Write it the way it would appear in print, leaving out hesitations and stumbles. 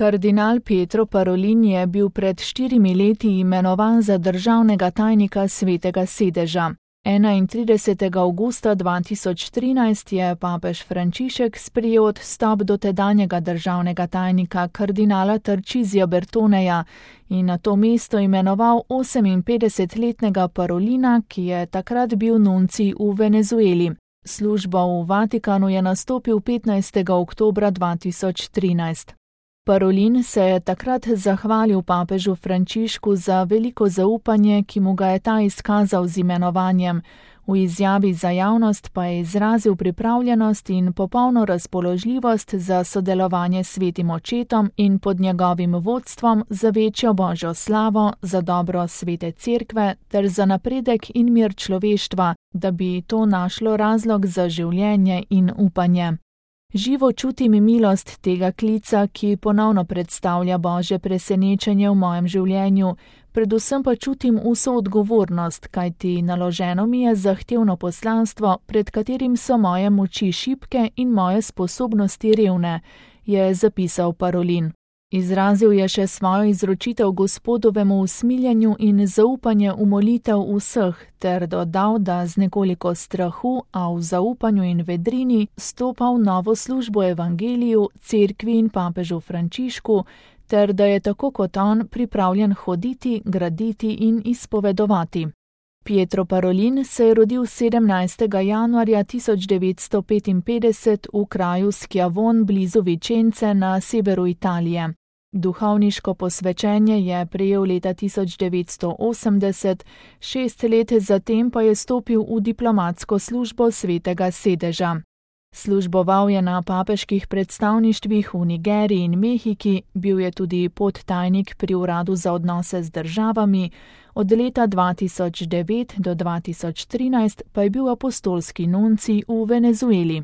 Kardinal Pietro Parolin je bil pred 4 leti imenovan za državnega tajnika Svetega sedeža. 31. avgusta 2013 je papež Frančišek sprejel odstop dotedanjega državnega tajnika kardinala Tarcisija Bertoneja in na to mesto imenoval 58-letnega Parolina, ki je takrat bil nuncij v Venezueli. Službo v Vatikanu je nastopil 15. oktobra 2013. Parolin se je takrat zahvalil papežu Frančišku za veliko zaupanje, ki mu ga je ta izkazal z imenovanjem. V izjavi za javnost pa je izrazil pripravljenost in popolno razpoložljivost za sodelovanje s Svetim očetom in pod njegovim vodstvom za večjo božjo slavo, za dobro Svete cerkve ter za napredek in mir človeštva, da bi to našlo razlog za življenje in upanje. Živo čutim milost tega klica, ki ponovno predstavlja božje presenečenje v mojem življenju, predvsem pa čutim vso odgovornost, kajti naloženo mi je zahtevno poslanstvo, pred katerim so moje moči šibke in moje sposobnosti revne, je zapisal Parolin. Izrazil je še svojo izročitev Gospodovemu usmiljenju in zaupanje v molitev vseh, ter dodal, da z nekoliko strahu, a v zaupanju in vedrini stopa v novo službo evangeliju, cerkvi in papežu Frančišku, ter da je tako kot on pripravljen hoditi, graditi in izpovedovati. Pietro Parolin se je rodil 17. januarja 1955 v kraju Schiavon blizu Vicence na severu Italije. Duhovniško posvečenje je prejel leta 1980, 6 let zatem pa je stopil v diplomatsko službo Svetega sedeža. Služboval je na papeških predstavništvih v Nigeriji in Mehiki, bil je tudi podtajnik pri uradu za odnose z državami, od leta 2009 do 2013 pa je bil apostolski nuncij v Venezueli.